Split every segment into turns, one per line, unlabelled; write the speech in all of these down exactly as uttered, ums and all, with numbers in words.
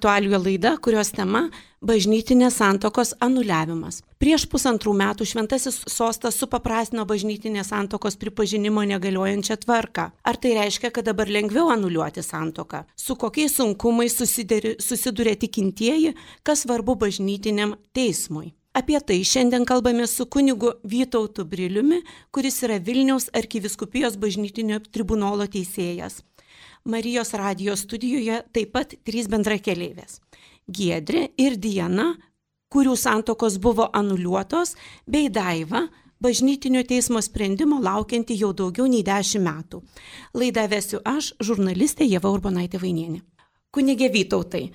aktualijų laida, kurios tema – bažnytinės santuokos anuliavimas. Prieš pusantrų metų Šventasis sostas supaprastino bažnytinės santuokos pripažinimo negaliojančią tvarką. Ar tai reiškia, kad dabar lengviau anuliuoti santuoką? Su kokiais sunkumais susiduria tikintieji, kas svarbu bažnytiniam teismui? Apie tai šiandien kalbame su kunigu Vytautu Briliumi, kuris yra Vilniaus arkivyskupijos bažnytinio tribunolo teisėjas. Marijos radijos studijoje taip pat trys bendrakeleivės – Giedrė ir Diana, kurių santuokos buvo anuliuotos, bei Daiva, bažnytinio teismo sprendimo laukianti jau daugiau nei dešimt metų. Laidą vesiu aš, žurnalistė Ieva Urbonaitė Vainienė. Kunige Vytautai,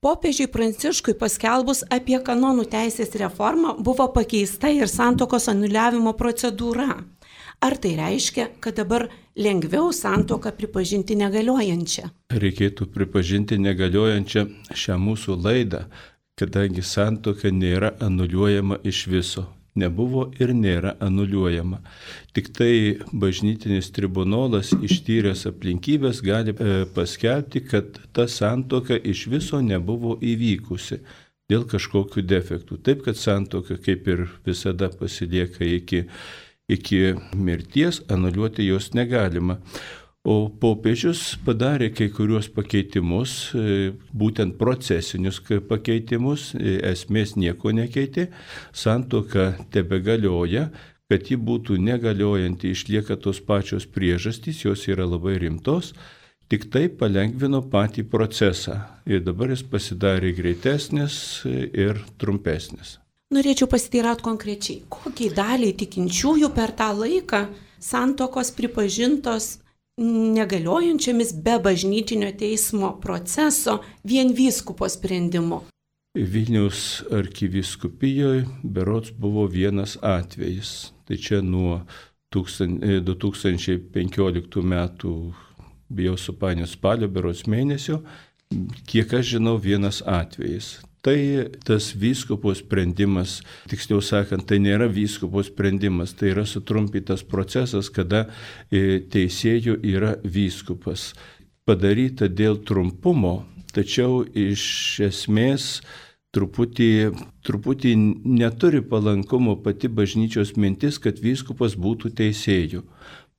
popiežiui Pranciškui paskelbus apie kanonų teisės reformą buvo pakeista ir santuokos anuliavimo procedūra. Ar tai reiškia, kad dabar lengviau santuoką pripažinti negaliojančią?
Reikėtų pripažinti negaliojančią šią mūsų laidą, kadangi santuoka nėra anuliuojama iš viso. Nebuvo ir nėra anuliuojama. Tik tai bažnytinis tribunolas ištyręs aplinkybės gali paskelbti, kad ta santuoka iš viso nebuvo įvykusi dėl kažkokių defektų. Taip, kad santuoka kaip ir visada pasilieka iki, iki mirties, anuliuoti jos negalima. O popiežius padarė kai kuriuos pakeitimus, būtent procesinius pakeitimus, esmės nieko nekeitė, santuoka tebegalioja, kad ji būtų negaliojanti, išlieka tos pačios priežastys, jos yra labai rimtos, tik tai palengvino patį procesą ir dabar jis pasidarė greitesnis ir trumpesnis.
Norėčiau pasiteirauti konkrečiai, kokiai daliai tikinčiųjų per tą laiką santuokos pripažintos negaliojančiamis be bažnytinio teismo proceso vien vyskupo sprendimu.
Vilniaus arkivyskupijoje berods buvo vienas atvejis. Tai čia nuo du tūkstančiai penkioliktų metų, bijau supainioti, spalio berods mėnesio, kiek aš žinau, vienas atvejis. Tai tas vyskupo sprendimas, tiksliau sakant, tai nėra vyskupo sprendimas, tai yra sutrumpytas procesas, kada teisėjų yra vyskupas. Padaryta dėl trumpumo, tačiau iš esmės truputį, truputį neturi palankumo pati bažnyčios mintis, kad vyskupas būtų teisėjų.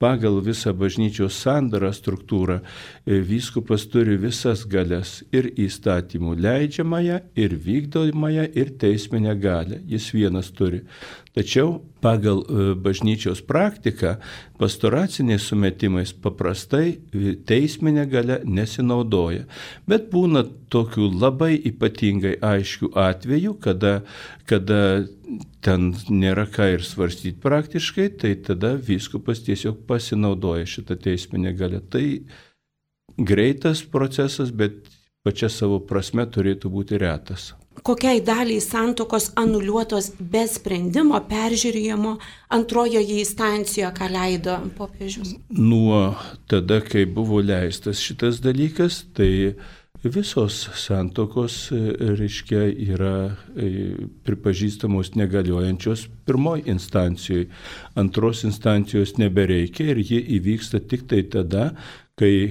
Pagal visą bažnyčios sandarą struktūrą vyskupas turi visas galias ir įstatymų leidžiamąją, ir vykdomąją, ir teisminę galią. Jis vienas turi. Tačiau pagal bažnyčios praktiką pastoraciniais sumetimais paprastai teisminė galia nesinaudoja. Bet būna tokių labai ypatingai aiškių atvejų, kada, kada ten nėra ką ir svarstyti praktiškai, tai tada vyskupas tiesiog pasinaudoja šitą teisminę galią. Tai greitas procesas, bet pačia savo prasme turėtų būti retas.
Kokiai daliai santuokos anuliuotos be sprendimo peržiūrėjimo antrojoje instancijoje, ką leido popiežius?
Nuo tada, kai buvo leistas šitas dalykas, tai visos santuokos, reiškia, yra pripažįstamos negaliojančios pirmoji instancijoje. Antros instancijos nebereikia ir jie įvyksta tik tai tada, kai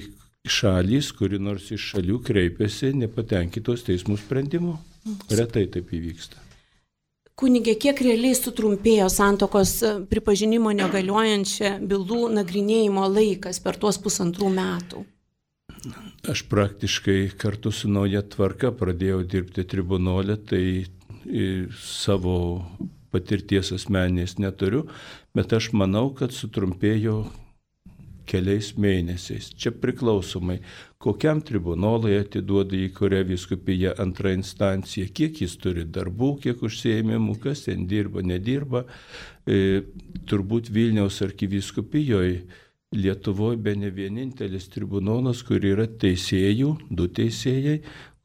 šalys, kuri nors iš šalių kreipiasi nepatenkintos teismų sprendimu. Retai taip įvyksta.
Kunige, kiek realiai sutrumpėjo santuokos pripažinimo negaliojančią bylų nagrinėjimo laikas per tuos pusantrų metų?
Aš praktiškai kartu su nauja tvarka pradėjau dirbti tribunole, tai savo patirties asmeninės neturiu, bet aš manau, kad sutrumpėjo keliais mėnesiais. Čia priklausomai, kokiam tribunolui atiduoda į kurią vyskupiją antrą instanciją, kiek jis turi darbų, kiek užsiėmimų, kas ten dirba, nedirba. E, turbūt Vilniaus arkivyskupijoje Lietuvoje be ne vienintelis tribunolas, kur yra teisėjų, du teisėjai,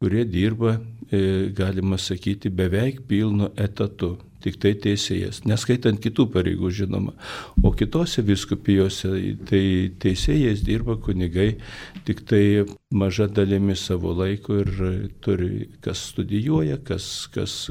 kurie dirba, e, galima sakyti, beveik pilnu etatu. Tik tai teisėjas, neskaitant kitų pareigų, žinoma. O kitose vyskupijose tai teisėjas dirba kunigai tik tai maža dalimi savo laiko ir turi, kas studijuoja, kas, kas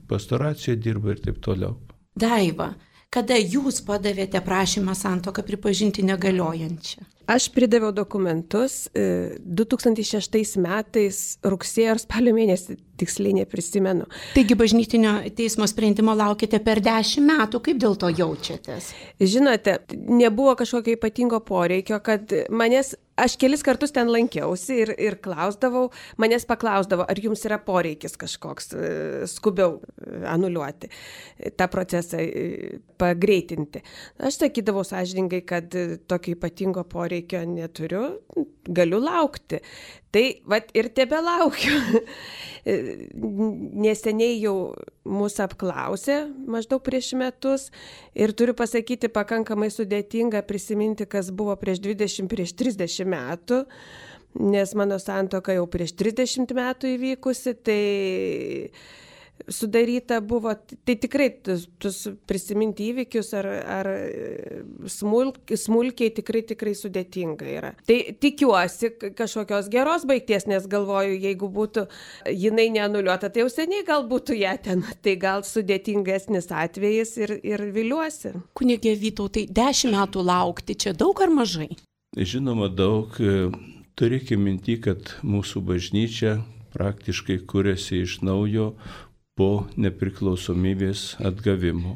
pastoracijoje dirba ir taip toliau.
Daiva, Kada jūs padavėte prašymą santuoką pripažinti negaliojančią?
Aš pridaviau dokumentus du tūkstančiai šeštais metais rugsėjo ar spalio mėnesį, tiksliai neprisimenu.
Taigi bažnytinio teismo sprendimo laukite per dešimt metų, kaip dėl to jaučiatės?
Žinote, nebuvo kažkokio ypatingo poreikio, kad manęs, aš kelis kartus ten lankiausi ir, ir klausdavau, manęs paklausdavo, ar jums yra poreikis kažkoks skubiau anuliuoti tą procesą, pagreitinti. Aš sakydavau sąžiningai, kad tokio ypatingo poreikio neturiu, galiu laukti. Tai vat ir tebe laukiu. Neseniai jau mūsų apklausė maždaug prieš metus ir turiu pasakyti, pakankamai sudėtinga prisiminti, kas buvo prieš dvidešimt, prieš trisdešimt metų, nes mano santuoka jau prieš trisdešimt metų įvykusi, tai sudaryta buvo, tai tikrai tus, tus prisiminti įvykius ar, ar smulk, smulkiai tikrai, tikrai sudėtinga yra. Tai tikiuosi kažkokios geros baigties, nes galvoju, jeigu būtų jinai neanuliuota, tai jau seniai gal būtų ją ten, tai gal sudėtingesnis atvejis ir, ir viliuosi.
Kunige Vytautai, dešimt metų laukti, čia daug ar mažai?
Žinoma, daug. Turėkime minti, kad mūsų bažnyčia praktiškai kuriasi iš naujo po nepriklausomybės atgavimo.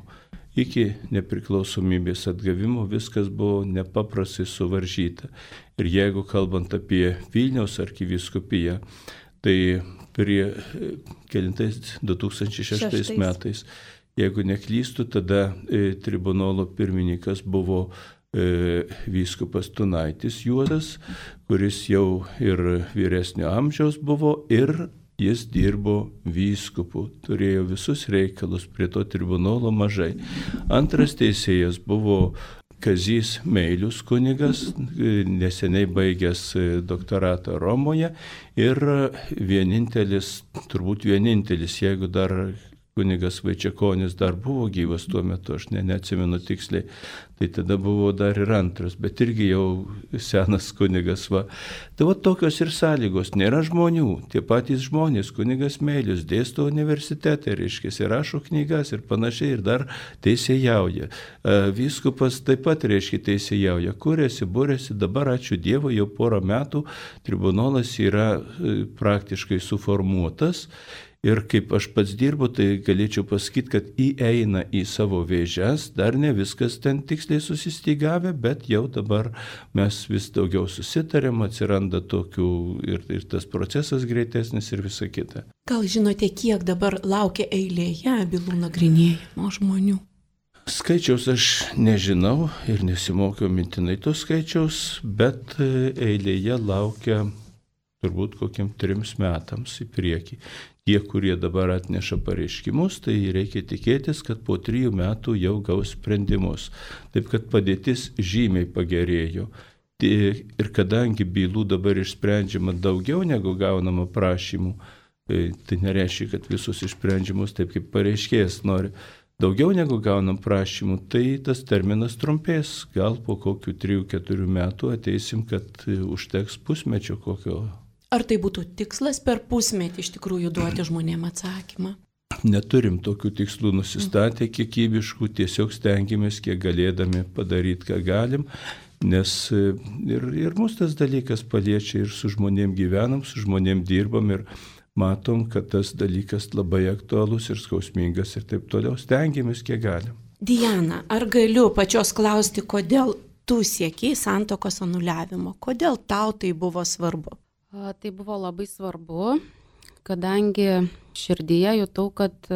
Iki nepriklausomybės atgavimo viskas buvo nepaprastai suvaržyta. Ir jeigu kalbant apie Vilniaus arkivyskupiją, tai prie kelintais du tūkstančiai šeštais metais, jeigu neklystu, tada e, tribunolo pirmininkas buvo e, vyskupas Tunaitis Juozas, kuris jau ir vyresnio amžiaus buvo ir jis dirbo vyskupu, turėjo visus reikalus, prie to tribunolo mažai. Antras teisėjas buvo Kazys Meilius kunigas, neseniai baigęs doktoratą Romoje ir vienintelis, turbūt vienintelis, jeigu dar kunigas Vaičiakonis dar buvo gyvas tuo metu, aš ne, neatsimenu tiksliai, tai tada buvo dar ir antras, bet irgi jau senas kunigas va. Tai va tokios ir sąlygos, nėra žmonių, tie patys žmonės, kunigas Meilius dėsto universitete, reiškia, ir rašo knygas ir panašiai, ir dar teisėjauja. Vyskupas taip pat, reiškia, teisėjauja, kuriasi, būrėsi, dabar ačiū Dievui, jau porą metų tribunolas yra praktiškai suformuotas. Ir kaip aš pats dirbu, tai galėčiau pasakyti, kad įeina į savo vėžes, dar ne viskas ten tiksliai susistygavę, bet jau dabar mes vis daugiau susitarėm, atsiranda tokių ir, ir tas procesas greitesnis ir visa kita.
Gal žinote, kiek dabar laukia eilėje bylų nagrinėjimo žmonių?
Skaičiaus aš nežinau ir nesimokiau mintinai to skaičiaus, bet eilėje laukia turbūt kokiam trims metams į priekį. Tie, kurie dabar atneša pareiškimus, tai reikia tikėtis, kad po trijų metų jau gaus sprendimus. Taip kad padėtis žymiai pagerėjo. Ir kadangi bylų dabar išsprendžiama daugiau negu gaunama prašymų, tai nereiškia, kad visus išsprendžimus taip kaip pareiškėjas nori. Daugiau negu gaunam prašymų, tai tas terminas trumpės. Gal po kokių trijų keturių metų ateisim, kad užteks pusmečio kokio.
Ar tai būtų tikslas per pusmetį iš tikrųjų duoti žmonėm atsakymą?
Neturim tokių tikslų nusistatę kiekybiškų, tiesiog stengiamės kiek galėdami padaryti, ką galim, nes ir, ir mūsų tas dalykas paliečia ir su žmonėm gyvenam, su žmonėm dirbam ir matom, kad tas dalykas labai aktualus ir skausmingas ir taip toliau. Stengiamės kiek galim.
Diana, ar galiu pačios klausti, kodėl tu siekiai santuokos anuliavimo? Kodėl tau tai buvo svarbu?
Tai buvo labai svarbu, kadangi širdyje jutau, kad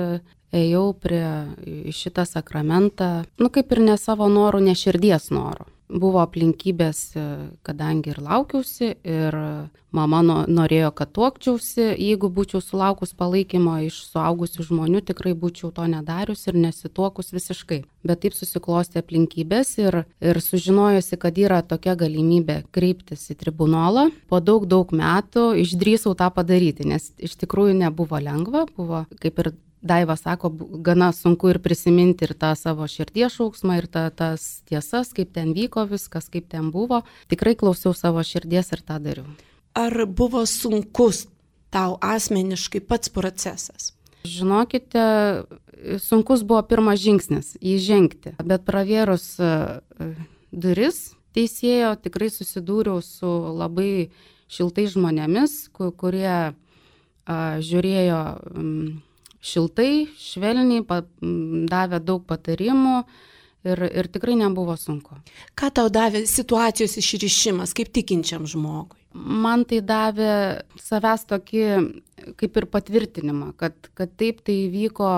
ėjau prie šitą sakramentą, nu kaip ir ne savo norų, ne širdies norų. Buvo aplinkybės, kadangi ir laukiausi, ir mama norėjo, kad tuokčiausi. Jeigu būčiau sulaukus palaikymo iš suaugusių žmonių, tikrai būčiau to nedarius ir nesituokus visiškai. Bet taip susiklostė aplinkybės ir, ir sužinojusi, kad yra tokia galimybė kreiptis į tribunolą, po daug, daug metų išdrįsau tą padaryti, nes iš tikrųjų nebuvo lengva, buvo kaip ir Daiva sako, gana sunku ir prisiminti ir tą savo širdies šauksmą, ir tą, tas tiesas, kaip ten vyko viskas, kaip ten buvo. Tikrai klausiau savo širdies ir tą dariau.
Ar buvo sunkus tau asmeniškai pats procesas?
Žinokite, sunkus buvo pirmas žingsnis įžengti, bet pravėrus duris teisėjo tikrai susidūriau su labai šiltais žmonėmis, kurie a, žiūrėjo m, šiltai, švelniai, pa, m, davė daug patarimų ir, ir tikrai nebuvo sunku.
Ką tau davė situacijos išrišimas, kaip tikinčiam žmogui?
Man tai davė savęs tokį kaip ir patvirtinimą, kad, kad taip tai vyko,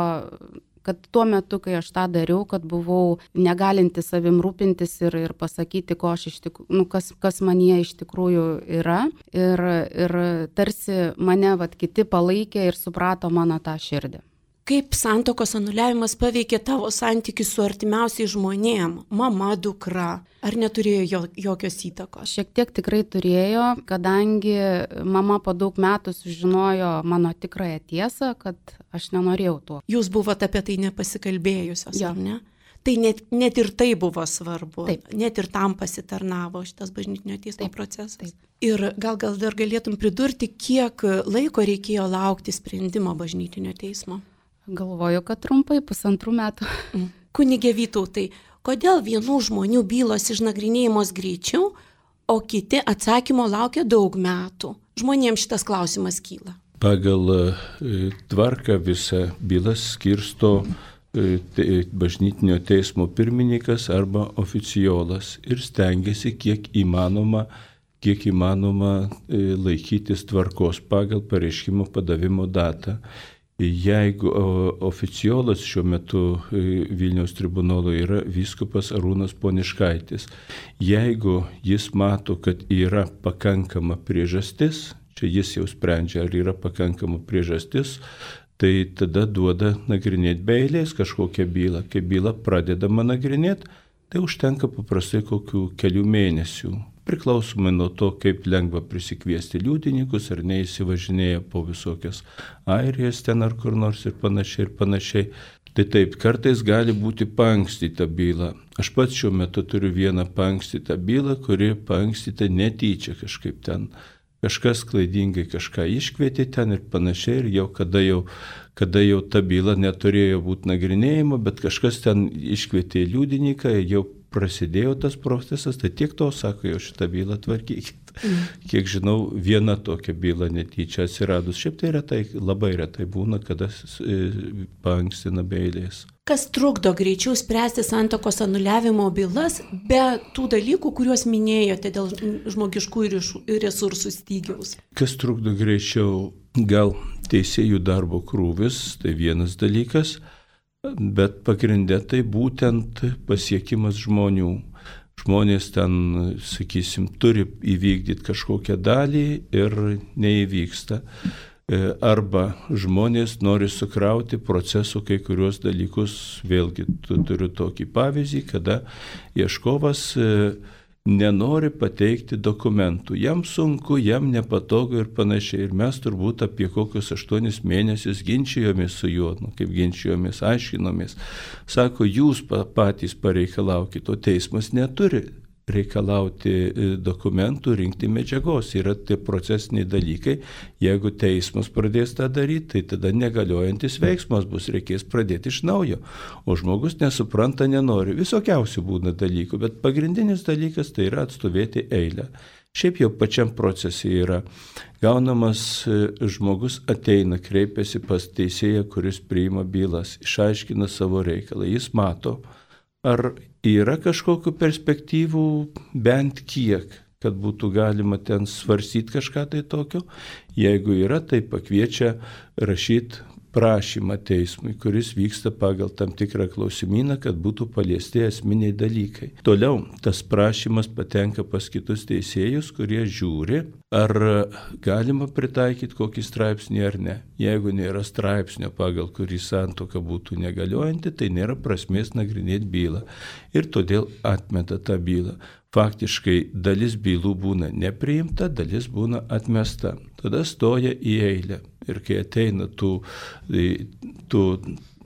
kad tuo metu, kai aš tą dariau, kad buvau negalinti savim rūpintis ir, ir pasakyti, ko aš iš tikrųjų, nu, kas, kas manyje iš tikrųjų yra. Ir, ir tarsi mane vat, kiti palaikė ir suprato mano tą širdį.
Kaip santuokos anuliavimas paveikė tavo santykius su artimiausiais žmonėm, mama, dukra? Ar neturėjo jo, jokios įtakos?
Šiek tiek tikrai turėjo, kadangi mama po daug metų sužinojo mano tikrąją tiesą, kad aš nenorėjau tuo.
Jūs buvote apie tai nepasikalbėjusios,
ja.
ar ne? Tai net, net ir tai buvo svarbu.
Taip.
Net ir tam pasitarnavo šitas bažnytinio teismo taip, procesas.
Taip.
Ir gal, gal dar galėtum pridurti, kiek laiko reikėjo laukti sprendimo bažnytinio teismo?
Galvoju, kad trumpai, pusantrų metų.
Kunige Vytautai, kodėl vienų žmonių bylos išnagrinėjimos greičiau, o kiti atsakymo laukia daug metų? Žmonėms šitas klausimas kyla.
Pagal e, tvarką visą bylas skirsto e, te, bažnytinio teismo pirmininkas arba oficiolas ir stengiasi kiek įmanoma, kiek įmanoma e, laikytis tvarkos pagal pareiškimo padavimo datą. Jeigu oficiolas šiuo metu Vilniaus tribunolo yra vyskupas Arūnas Poniškaitis, jeigu jis mato, kad yra pakankama priežastis, čia jis jau sprendžia, ar yra pakankama priežastis, tai tada duoda nagrinėti be eilės kažkokią bylą. Kai byla pradedama nagrinėti, tai užtenka paprastai kokių kelių mėnesių. Priklausomai nuo to, kaip lengva prisikviesti liudininkus, ar neįsivažinėja po visokias Airijas ten ar kur nors ir panašiai ir panašiai. Tai taip, kartais gali būti paankstyta byla. Aš pats šiuo metu turiu vieną paankstytą bylą, kuri paankstyta netyčia kažkaip ten. Kažkas klaidingai kažką iškvietė ten ir panašiai ir jau kada jau, kada jau ta byla neturėjo būti nagrinėjimo, bet kažkas ten iškvietė liudininką, jau prasidėjo tas procesas, tai tiek to sako, jau šitą bylą tvarkykit. Mm. Kiek žinau, viena tokia byla netyčia atsiradus. Šiaip tai retai, labai retai būna, kada paankstina be eilės.
Kas trukdo greičiau spręsti santuokos anuliavimo bylas be tų dalykų, kuriuos minėjote dėl žmogiškųjų resursų stygiaus?
Kas trukdo greičiau? Gal teisėjų darbo krūvis, tai vienas dalykas. Bet pagrindė tai būtent pasiekimas žmonių. Žmonės ten, sakysim, turi įvykdyti kažkokią dalį ir neįvyksta. Arba žmonės nori sukrauti procesų kai kurios dalykus. Vėlgi turiu tokį pavyzdį, kada ieškovas nenori pateikti dokumentų. Jam sunku, jam nepatogu ir panašiai. Ir mes turbūt apie kokius aštuonis mėnesius ginčijomės su juo, nu, kaip ginčijomės, aiškinomės. Sako, jūs patys pareikalaukite, o teismas neturi reikalauti dokumentų, rinkti medžiagos. Yra tie procesiniai dalykai. Jeigu teismas pradės tą daryti, tai tada negaliojantis veiksmas bus, reikės pradėti iš naujo. O žmogus nesupranta, nenori. Visokiausių būna dalykų, bet pagrindinis dalykas tai yra atstovėti eilę. Šiaip jau pačiam procese yra gaunamas žmogus ateina, kreipiasi pas teisėją, kuris priima bylas, išaiškina savo reikalą. Jis mato, ar yra kažkokių perspektyvų bent kiek, kad būtų galima ten svarstyti kažką tai tokio. Jeigu yra, tai pakviečia rašyti prašymą teismui, kuris vyksta pagal tam tikrą klausimyną, kad būtų paliesti esminiai dalykai. Toliau tas prašymas patenka pas kitus teisėjus, kurie žiūri, ar galima pritaikyti kokį straipsnį ar ne. Jeigu nėra straipsnio, pagal kurį santuoka būtų negaliojanti, tai nėra prasmės nagrinėti bylą. Ir todėl atmeta tą bylą. Faktiškai dalis bylų būna nepriimta, dalis būna atmesta. Tada stoja į eilę. Ir kai ateina tų, tų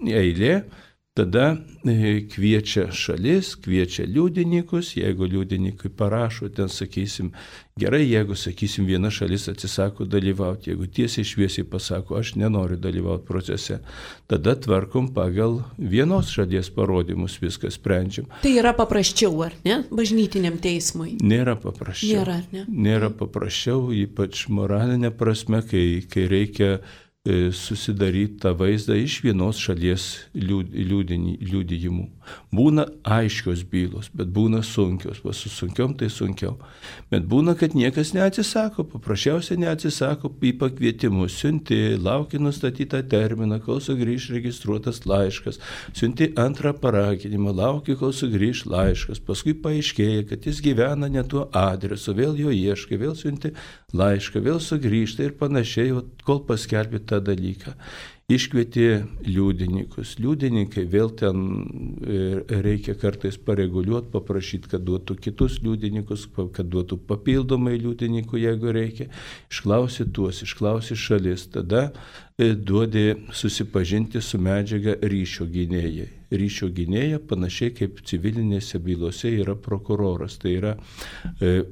eilė, Tada kviečia šalis, kviečia liudininkus, jeigu liudininkai parašo, ten sakysim, gerai, jeigu, sakysim, viena šalis atsisako dalyvauti, jeigu tiesiai šviesiai pasako, aš nenoriu dalyvauti procese, tada tvarkom pagal vienos šalies parodymus, viskas sprendžiam.
Tai yra paprasčiau, ar ne, bažnytiniam teismui?
Nėra paprasčiau.
Nėra, ar ne?
Nėra paprasčiau, ypač moralinė prasme, kai, kai reikia susidaryti tą vaizdą iš vienos šalies liudijimų. Būna aiškios bylos, bet būna sunkios, va su sunkiom tai sunkiau. Bet būna, kad niekas neatsisako, paprasčiausiai neatsisako į pakvietimus, siunti, lauki nustatytą terminą, kol sugrįž registruotas laiškas, siunti antrą paraginimą, lauki, kol sugrįž laiškas, paskui paaiškėja, kad jis gyvena ne tuo adresu, vėl jo ieškai, vėl siunti laišką, vėl sugrįžta ir panašiai, kol paskelbė tą dalyką. Iškvietė liudininkus. Liudininkai vėl ten reikia kartais pareguliuoti, paprašyti, kad duotų kitus liudininkus, kad duotų papildomai liudininkų, jeigu reikia. Išklausė tuos, išklausė šalis. Tada duodė susipažinti su medžiaga ryšio gynėjai. Ryšio gynėja panašiai kaip civilinėse bylose yra prokuroras. Tai yra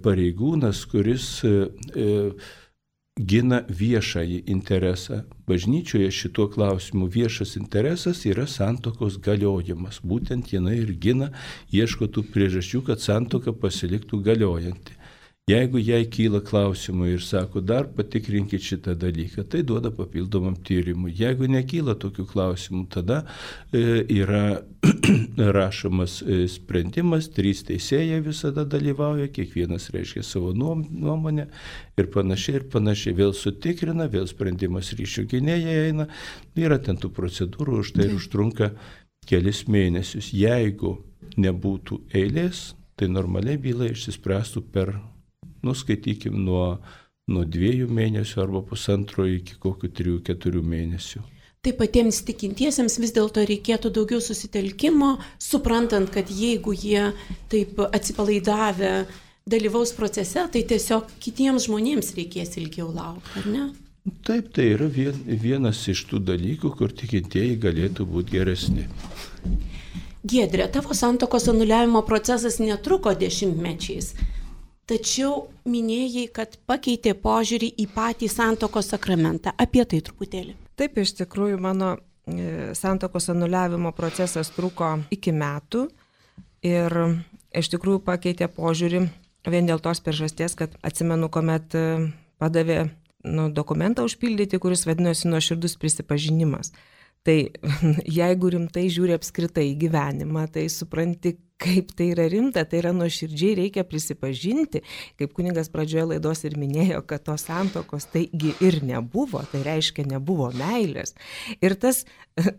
pareigūnas, kuris gina viešąjį interesą. Bažnyčioje šituo klausimu viešas interesas yra santuokos galiojimas. Būtent jinai ir gina, ieško tų priežasčių, kad santuoka pasiliktų galiojanti. Jeigu jai kyla klausimų ir sako, dar patikrinkit šitą dalyką, tai duoda papildomam tyrimui. Jeigu nekyla tokių klausimų, tada e, yra rašomas e, sprendimas, trys teisėjai visada dalyvauja, kiekvienas reiškia savo nuomonę ir panašiai ir panašiai. Vėl sutikrina, vėl sprendimas ryšio gynėjai eina, yra ten tų procedūrų, už tai užtrunka kelis mėnesius. Jeigu nebūtų eilės, tai normaliai byla išsispręstų per nuskaitykim nuo, nuo dviejų mėnesių arba pusantro iki kokių trijų, keturių mėnesių.
Tai patiems tikintiesiems vis dėlto reikėtų daugiau susitelkimo, suprantant, kad jeigu jie taip atsipalaidavę dalyvaus procese, tai tiesiog kitiems žmonėms reikės ilgiau laukti, ar ne?
Taip, tai yra vien, vienas iš tų dalykų, kur tikintieji galėtų būti geresni.
Giedre, tavo santuokos anuliavimo procesas netruko dešimtmečiais. Tačiau minėjai, kad pakeitė požiūrį į patį santuokos sakramentą. Apie tai truputėlį.
Taip, iš tikrųjų, mano santuokos anuliavimo procesas truko iki metų ir iš tikrųjų pakeitė požiūrį vien dėl tos priežasties, kad atsimenu, kuomet padavė nu, dokumentą užpildyti, kuris vadinosi nuoširdus prisipažinimas. Tai jeigu rimtai žiūri apskritai į gyvenimą, tai supranti, kaip tai yra rimta, tai yra nuoširdžiai reikia prisipažinti, kaip kunigas pradžioje laidos ir minėjo, kad tos santuokos taigi ir nebuvo, tai reiškia nebuvo meilės. Ir tas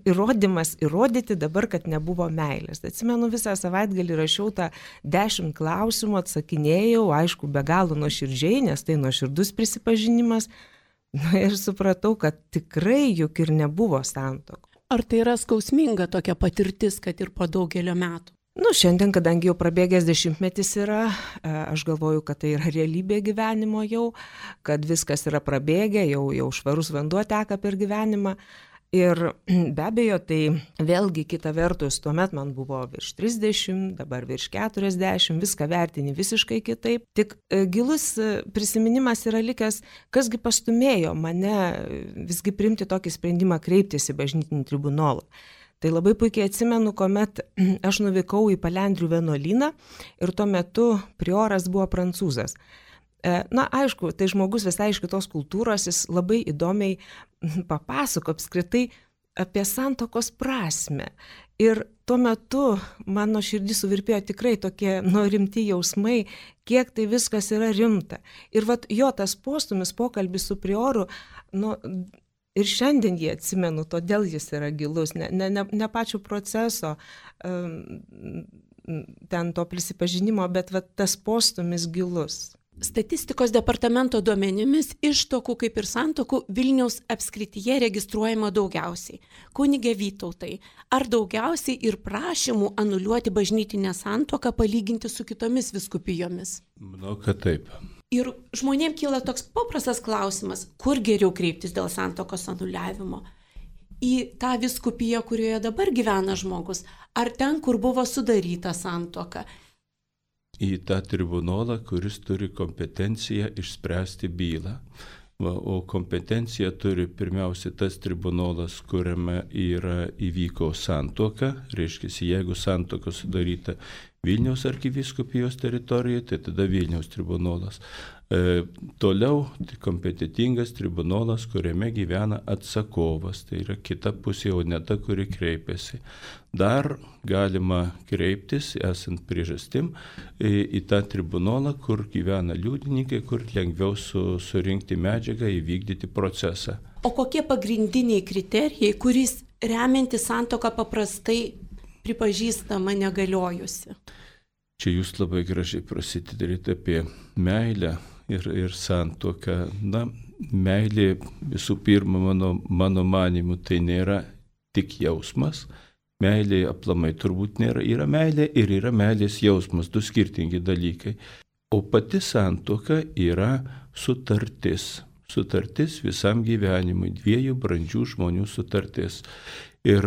įrodymas įrodyti dabar, kad nebuvo meilės. Atsimenu, visą savaitgalį rašiau tą dešimt klausimų, atsakinėjau, aišku, be galo nuoširdžiai, nes tai nuoširdus prisipažinimas. Na ir supratau, kad tikrai juk ir nebuvo santuokų.
Ar tai yra skausminga tokia patirtis, kad ir po daugelio metų?
Nu, šiandien, kadangi jau prabėgęs dešimtmetis yra, aš galvoju, kad tai yra realybė gyvenimo jau, kad viskas yra prabėgę, jau, jau švarus vanduo teka per gyvenimą. Ir be abejo, tai vėlgi kita vertus, tuomet man buvo virš trisdešimt, dabar virš keturiasdešimt, viską vertini visiškai kitaip. Tik gilus prisiminimas yra likęs, kasgi pastumėjo mane visgi priimti tokį sprendimą kreiptis į bažnytinį tribunolą. Tai labai puikiai atsimenu, kuomet aš nuvykau į Palendrių vienuolyną ir tuo metu prioras buvo prancūzas. Na, aišku, tai žmogus visai iš kitos kultūros, jis labai įdomiai papasako apskritai apie santuokos prasmę. Ir tuo metu mano širdį suvirpėjo tikrai tokie nu, rimti jausmai, kiek tai viskas yra rimta. Ir vat, jo tas postumis pokalbis su prioru, nu, ir šiandien jį atsimenu, todėl jis yra gilus, ne, ne, ne, ne pačio proceso, um, ten to prisipažinimo, bet vat, tas postumis gilus.
Statistikos departamento duomenimis ištuokų kaip ir santuokų Vilniaus apskrityje registruojama daugiausiai. Kunige Vytautai, ar daugiausiai ir prašymų anuliuoti bažnytinę santuoką palyginti su kitomis vyskupijomis?
Manau, kad taip.
Ir žmonėms kyla toks paprastas klausimas, kur geriau kreiptis dėl santuokos anuliavimo? į tą vyskupiją, kurioje dabar gyvena žmogus, ar ten, kur buvo sudaryta santuoka?
Į tą tribunolą, kuris turi kompetenciją išspręsti bylą. Va, o kompetenciją turi pirmiausia tas tribunolas, kuriame yra įvyko santuoka, reiškia, jeigu santuoka sudaryta Vilniaus arkivyskupijos teritorijoje, tai tada Vilniaus tribunolas. E, toliau tai kompetitingas tribunolas, kuriame gyvena atsakovas, tai yra kita pusė, o ne ta, kuri kreipiasi. Dar galima kreiptis, esant priežastim, į, į tą tribunolą, kur gyvena liudininkai, kur lengviau su, surinkti medžiagą, įvykdyti procesą.
O kokie pagrindiniai kriterijai, kuris remianti santuoka paprastai pripažįstama negaliojusi?
Čia jūs labai gražiai prasitarėte apie meilę ir, ir santuoką. Na, meilė visų pirma, mano, mano manimu, tai nėra tik jausmas. Meilė aplamai turbūt nėra. Yra meilė ir yra meilės jausmas, du skirtingi dalykai. O pati santuoka yra sutartis. Sutartis visam gyvenimui, dviejų brandžių žmonių sutartis. Ir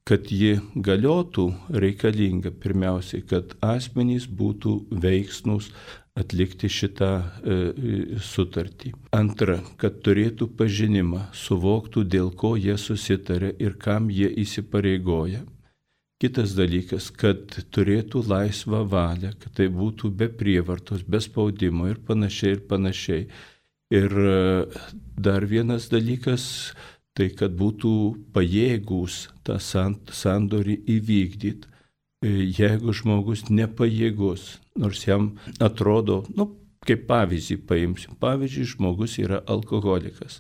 kad ji galiotų, reikalinga pirmiausiai, kad asmenys būtų veiksnūs atlikti šitą e, sutartį. Antra, kad turėtų pažinimą, suvoktų, dėl ko jie susitarė ir kam jie įsipareigoja. Kitas dalykas, kad turėtų laisvą valią, kad tai būtų be prievartos, be spaudimo ir panašiai ir panašiai. Ir dar vienas dalykas, tai kad būtų pajėgūs tą sandorį įvykdyti. Jeigu žmogus nepajėgus, nors jam atrodo, nu, kaip pavyzdį paimsim, pavyzdžiui, žmogus yra alkoholikas.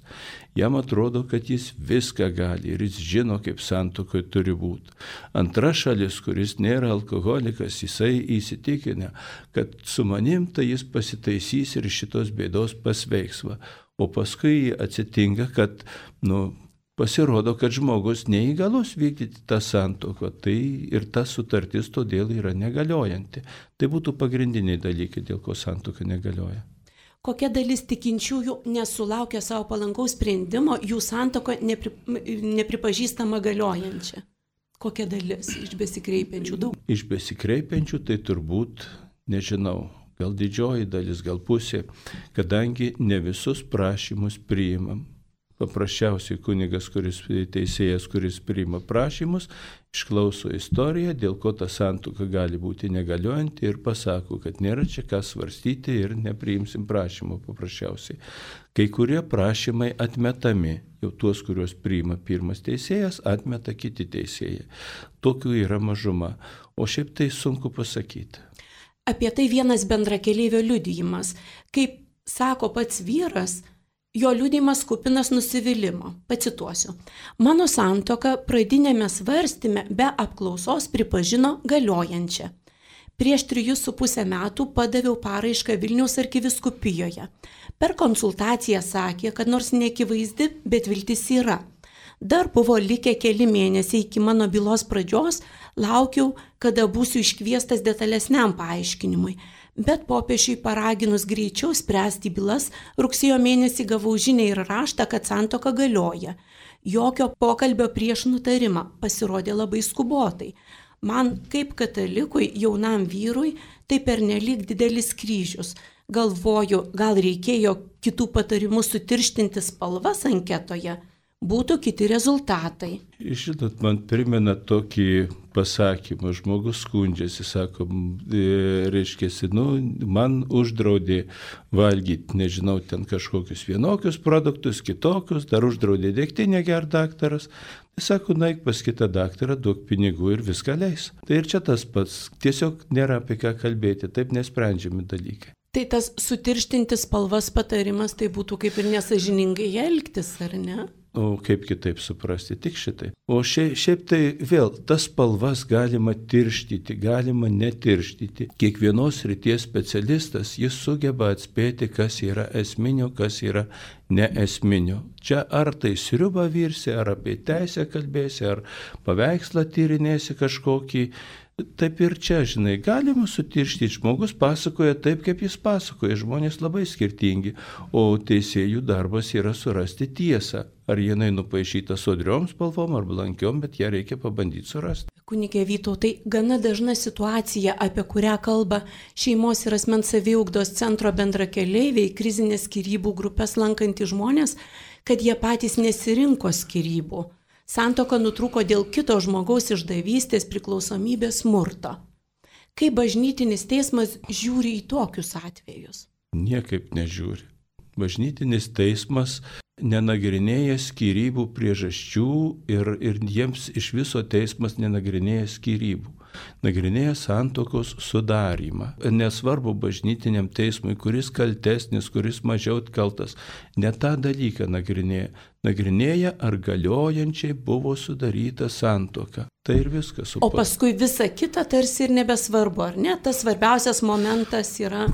Jam atrodo, kad jis viską gali ir jis žino, kaip santuokoje turi būti. Antra šalis, kuris nėra alkoholikas, jisai įsitikinę, kad su manim tai jis pasitaisys ir šitos bėdos pasveiksva. O paskui atsitinka, kad, nu, pasirodo, kad žmogus neįgalus vykdyti tą santuoką, tai ir ta sutartis todėl yra negaliojanti. Tai būtų pagrindiniai dalykai, dėl ko santuoka negalioja.
Kokia dalis tikinčiųjų nesulaukia savo palankaus sprendimo, jų santuoka nepri, nepripažįstama galiojančia? Kokia dalis iš besikreipiančių daug?
Iš besikreipiančių tai turbūt, nežinau, gal didžioji dalis, gal pusė, kadangi ne visus prašymus priimam. Paprasčiausiai kunigas, kuris teisėjas, kuris priima prašymus, išklauso istoriją, dėl ko ta santuoka gali būti negaliojanti ir pasako, kad nėra čia ką svarstyti ir nepriimsim prašymo paprasčiausiai. Kai kurie prašymai atmetami, jau tuos, kuriuos priima pirmas teisėjas, atmeta kiti teisėjai. Tokių yra mažuma, o šiaip tai sunku pasakyti.
Apie tai vienas bendrakeleivio liudijimas. Kaip sako pats vyras, jo liudijimas kupinas nusivylimo. Pacituosiu. Mano santuoka pradinėme svarstyme be apklausos pripažino galiojančią. Prieš trijus su pusę metų padaviau paraišką Vilniaus arkivyskupijoje. Per konsultaciją sakė, kad nors neakivaizdi, bet viltis yra. Dar buvo likę keli mėnesiai iki mano bylos pradžios, laukiau, kada būsiu iškviestas detalesniam paaiškinimui. Bet popiežiui paraginus greičiau spręsti bylas, rugsėjo mėnesį gavau žinią ir raštą, kad santuoka galioja. Jokio pokalbio prieš nutarimą, pasirodė labai skubotai. Man, kaip katalikui, jaunam vyrui, tai pernelyg didelis kryžius. Galvoju, gal reikėjo kitų patarimų sutirštinti spalvas anketoje. Būtų kiti rezultatai.
Žinot, man primena tokį pasakymą, žmogus skundžiasi, sako, reiškiasi, nu, man uždraudė valgyti, nežinau, ten kažkokius vienokius produktus, kitokius, dar uždraudė degtinę ger daktaras. Tai sako, naik pas kitą daktarą, duok pinigų ir viską leis. Tai ir čia tas pats, tiesiog nėra apie ką kalbėti, taip nesprendžiami dalykai.
Tai tas sutirštinti spalvas patarimas, tai būtų kaip ir nesažiningai elgtis, ar ne?
O kaip kitaip suprasti, tik šitai. O šiaip, šiaip tai vėl, tas spalvas galima tirštyti, galima netirštyti. Kiekvienos srities specialistas, jis sugeba atspėti, kas yra esminio, kas yra neesminio. Čia ar tai sriubą virsi, ar apie teisę kalbėsi, ar paveikslą tyrinėsi kažkokį. Taip ir čia, žinai, galima sutirštyti, žmogus pasakoja taip, kaip jis pasakoja, žmonės labai skirtingi, o teisėjų darbas yra surasti tiesą. Ar jinai nupaišyta sodriom spalvom ar blankiom, bet ją reikia pabandyti surasti.
Kunigė Vytautai, gana dažna situacija, apie kurią kalba šeimos ir asmens saviugdos centro bendrakeleiviai, krizinės skyrybų grupės lankantys žmonės, kad jie patys nesirinko skyrybų. Santuoka nutrūko dėl kito žmogaus išdavystės, priklausomybės, smurto. Kaip bažnytinis teismas žiūri į tokius atvejus?
Niekaip nežiūri. Bažnytinis teismas nenagrinėja skyrybų priežasčių ir, ir jiems iš viso teismas nenagrinėja skyrybų. Nagrinėja santuokos sudarymą. Nesvarbu bažnytiniam teismui, kuris kaltesnis, kuris mažiau kaltas, ne tą dalyką nagrinėja. Nagrinėja, ar galiojančiai buvo sudaryta santuoka. Tai ir viskas.
O paskui visa kita tarsi ir nebesvarbu, ar ne? Tas svarbiausias momentas yra...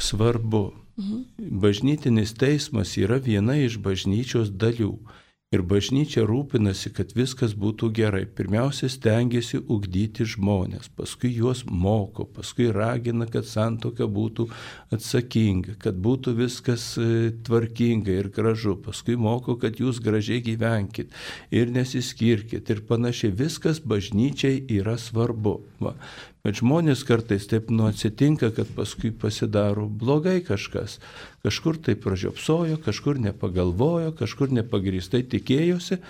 Svarbu. Mhm. Bažnytinis teismas yra viena iš bažnyčios dalių. Ir bažnyčia rūpinasi, kad viskas būtų gerai. Pirmiausia, stengiasi ugdyti žmonės, paskui juos moko, paskui ragina, kad santuoka būtų atsakinga, kad būtų viskas tvarkinga ir gražu. Paskui moko, kad jūs gražiai gyvenkit ir nesiskirkit ir panašiai. Viskas bažnyčiai yra svarbu. Va. Bet žmonės kartais taip nu atsitinka, kad paskui pasidaro blogai kažkas. Kažkur tai pražiopsojo, kažkur nepagalvojo, kažkur nepagrįstai tikėjosi.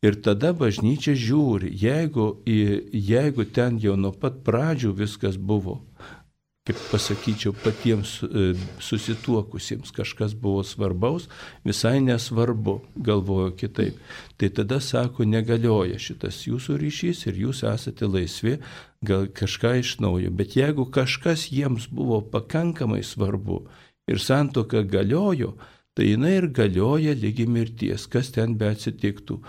Ir tada bažnyčia žiūri, jeigu, jeigu ten jau nuo pat pradžių viskas buvo, kaip pasakyčiau, patiems susituokusiems kažkas buvo svarbaus, visai nesvarbu, galvojo kitaip. Tai tada sako, negalioja šitas jūsų ryšys ir jūs esate laisvi, gal kažką iš naujo. Bet jeigu kažkas jiems buvo pakankamai svarbu ir santuoka galiojo, tai jinai ir galioja lygi mirties, kas ten beatsitiktų.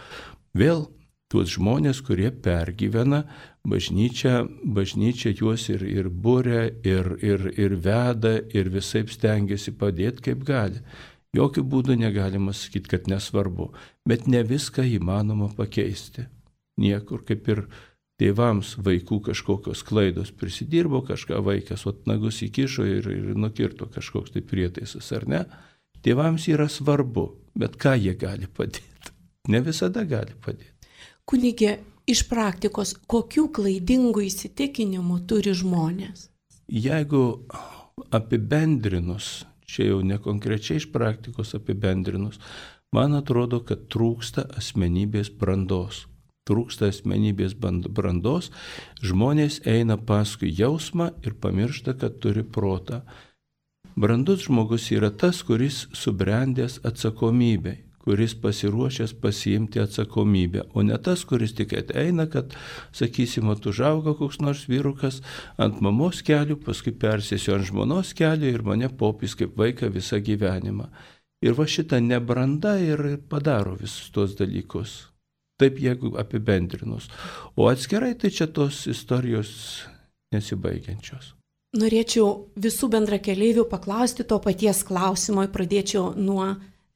Vėl tuos žmonės, kurie pergyvena, bažnyčia, bažnyčia juos ir, ir būria, ir, ir, ir veda, ir visaip stengiasi padėti, kaip gali. Jokių būdų negalima sakyti, kad nesvarbu, bet ne viską įmanoma pakeisti. Niekur, kaip ir tėvams vaikų kažkokios klaidos prisidirbo, kažką vaikas ot nagus įkišo ir, ir nukirto kažkoks tai prietaisas, ar ne? Tėvams yra svarbu, bet ką jie gali padėti? Ne visada gali padėti.
Kunigė, iš praktikos, kokių klaidingų įsitikinimų turi žmonės?
Jeigu apibendrinus, čia jau ne konkrečiai iš praktikos apibendrinus, man atrodo, kad trūksta asmenybės brandos. Trūksta asmenybės brandos, žmonės eina paskui jausmą ir pamiršta, kad turi protą. Brandus žmogus yra tas, kuris subrendęs atsakomybei, kuris pasiruošęs pasiimti atsakomybę, o ne tas, kuris tik eina, kad, sakysim, užauga koks nors vyrukas ant mamos kelių, paskui persėsiu ant žmonos kelių ir mane popys kaip vaiką visą gyvenimą. Ir va šitą nebrandą ir padaro visus tos dalykus. Taip, jeigu apibendrinus. O atskirai tai čia tos istorijos nesibaigiančios.
Norėčiau visų bendrakeleivių paklausti to paties klausimo, pradėčiau nuo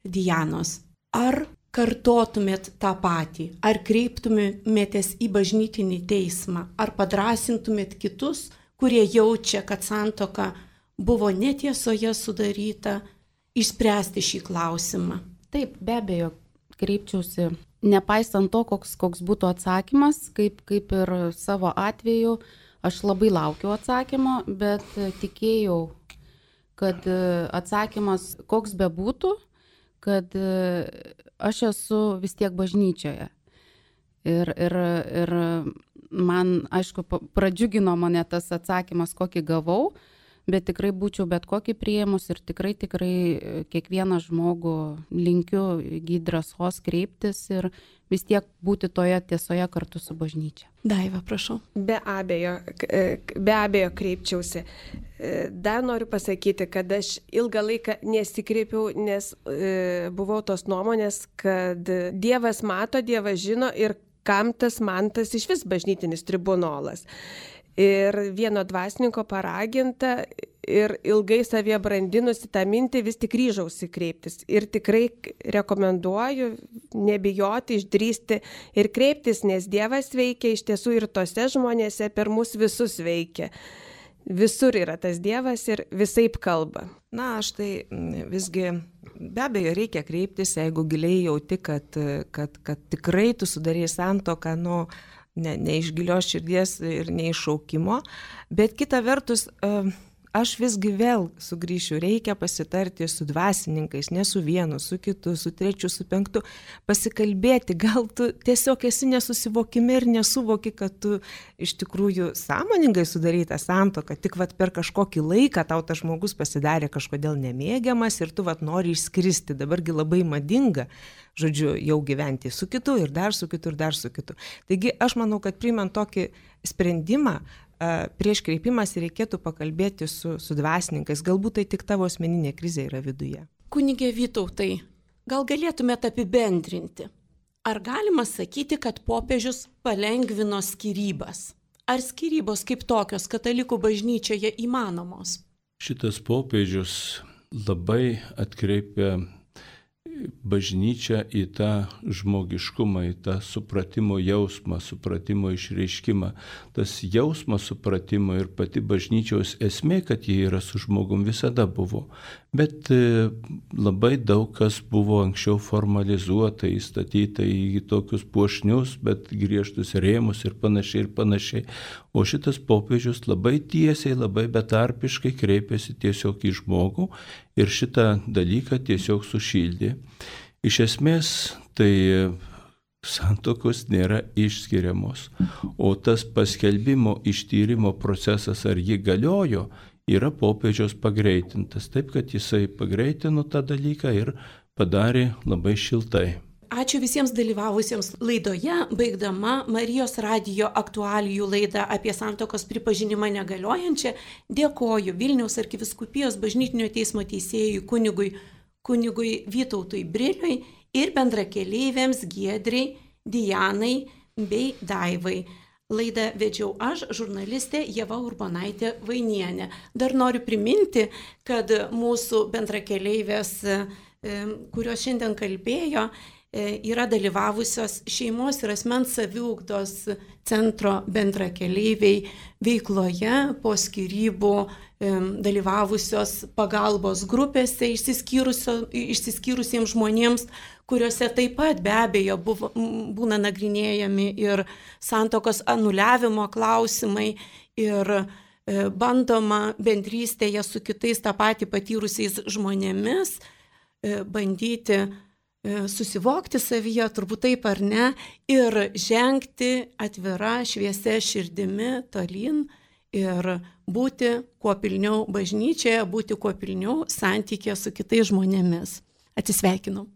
Dianos. Ar kartotumėt tą patį, ar kreiptumėtės į bažnytinį teismą, ar padrasintumėt kitus, kurie jaučia, kad santuoka buvo netiesoje sudaryta, išspręsti šį klausimą?
Taip, be abejo, kreipčiausi, nepaisant to, koks, koks būtų atsakymas, kaip, kaip ir savo atveju, aš labai laukiau atsakymo, bet tikėjau, kad atsakymas koks bebūtų, kad aš esu vis tiek bažnyčioje. Ir, ir, ir man, aišku, pradžiugino mane tas atsakymas, kokį gavau, bet tikrai būčiau bet kokį priėmus ir tikrai, tikrai kiekvieną žmogų linkiu įgyti drąsos kreiptis ir vis tiek būti toje tiesoje kartu su bažnyčia.
Daiva, prašau.
Be abejo, be abejo kreipčiausi. Dar noriu pasakyti, kad aš ilgą laiką nesikreipiau, nes e, buvau tos nuomonės, kad Dievas mato, Dievas žino ir kam tas man tas iš vis bažnytinis tribunolas. Ir vieno dvasininko paraginta ir ilgai savie brandinusi tą mintį vis tik ryžausi kreiptis. Ir tikrai rekomenduoju nebijoti, išdrysti ir kreiptis, nes Dievas veikia iš tiesų ir tose žmonėse per mus visus veikia. Visur yra tas Dievas ir visaip kalba.
Na, aš tai visgi be abejo reikia kreiptis, jeigu giliai jauti, kad, kad, kad tikrai tu sudarei santuoką, nu, ne, ne iš gilios širdies ir ne iš šaukimo, bet kita vertus, aš visgi vėl sugrįšiu, reikia pasitarti su dvasininkais, ne su vienu, su kitu, su trečiu, su penktu, pasikalbėti, gal tu tiesiog esi nesusivokime ir nesuvoki, kad tu iš tikrųjų sąmoningai sudarytą santuoką, tik vat per kažkokį laiką tau tas žmogus pasidarė kažkodėl nemėgiamas ir tu vat nori išskristi, dabargi labai madinga, žodžiu, jau gyventi su kitu ir dar su kitu ir dar su kitu. Taigi aš manau, kad priimant tokį sprendimą, prieš kreipimąsi reikėtų pakalbėti su, su dvasininkais, galbūt tai tik tavo asmeninė krizė yra viduje.
Kunige Vytautai, gal galėtumėte apibendrinti, ar galima sakyti, kad popiežius palengvino skyrybas? Ar skyrybos kaip tokios katalikų bažnyčioje įmanomos?
Šitas popiežius labai atkreipia bažnyčią į tą žmogiškumą, į tą supratimo jausmą, supratimo išreiškimą. Tas jausmas supratimo ir pati bažnyčios esmė, kad jie yra su žmogum, visada buvo. Bet labai daug kas buvo anksčiau formalizuota, įstatyta į tokius puošnius, bet griežtus rėmus ir panašiai ir panašiai. O šitas popiežius labai tiesiai, labai betarpiškai kreipėsi tiesiog į žmogų ir šitą dalyką tiesiog sušildė. Iš esmės, tai santuokos nėra išskiriamos, o tas paskelbimo ištyrimo procesas, ar ji galiojo, yra popiežiaus pagreitintas. Taip, kad jisai pagreitino tą dalyką ir padarė labai šiltai.
Ačiū visiems dalyvavusiems laidoje, baigdama Marijos radijo aktualijų laidą apie santuokos pripažinimą negaliojančią. Dėkoju Vilniaus arkivyskupijos bažnytinio teismo teisėjui kunigui, kunigui Vytautui Briliui ir bendrakeleiviams Giedrei, Dianai bei Daivai. Laidą vedžiau aš, žurnalistė Ieva Urbonaitė Vainienė. Dar noriu priminti, kad mūsų bendrakeleivės, kurios šiandien kalbėjo, yra dalyvavusios šeimos ir asmens saviugdos centro bendrakeleiviai veikloje, po skyrybų dalyvavusios pagalbos grupėse išsiskyrusiems žmonėms, kuriuose taip pat be abejo buvo, būna nagrinėjami ir santuokos anuliavimo klausimai ir bandoma bendrystėje su kitais tą patį patyrusiais žmonėmis bandyti susivokti savyje, turbūt taip ar ne, ir žengti atvira šviesia širdimi tolyn ir būti kuo pilniau bažnyčioje, būti kuo pilniau santykė su kitais žmonėmis. Atsisveikinu.